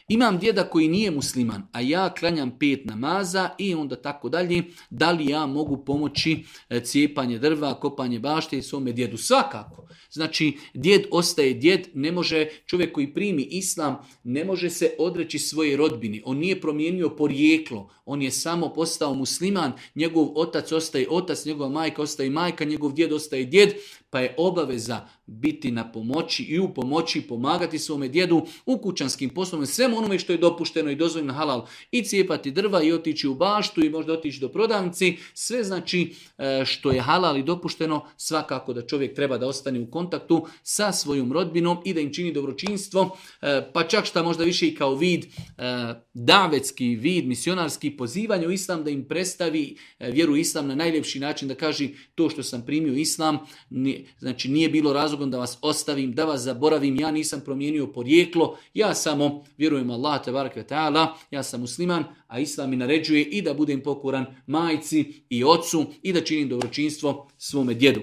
Imam djeda koji nije musliman, a ja klanjam 5 namaza i onda tako dalje. Da li ja mogu pomoći cijepanje drva, kopanje bašte i svome djedu? Svakako. Znači, djed ostaje djed, ne može čovjek koji primi islam, ne može se odreći svoje rodbine. On nije promijenio porijeklo, on je samo postao musliman, njegov otac ostaje otac, njegova majka ostaje majka, njegov djed ostaje djed, pa je obaveza biti na pomoći i u pomoći pomagati svome djedu u kućanskim poslovima, svemu onome što je dopušteno i dozvoljeno halal, i cijepati drva i otići u baštu i možda otići do prodavnici, sve znači što je halal i dopušteno, svakako da čovjek treba da ostane u kontaktu sa svojom rodbinom i da im čini dobročinstvo, pa čak šta možda više i kao vid, davetski vid, misionarski, pozivanje u islam, da im predstavi vjeru islam na najljepši način, da kaže to što sam primio islam, znači nije bilo razlogom da vas ostavim, da vas zaboravim, ja nisam promijenio porijeklo, ja samo vjerujem Allah tebareke ve taala, ja sam musliman, a islam mi naređuje i da budem pokoran majci i ocu i da činim dobročinstvo svome djedu.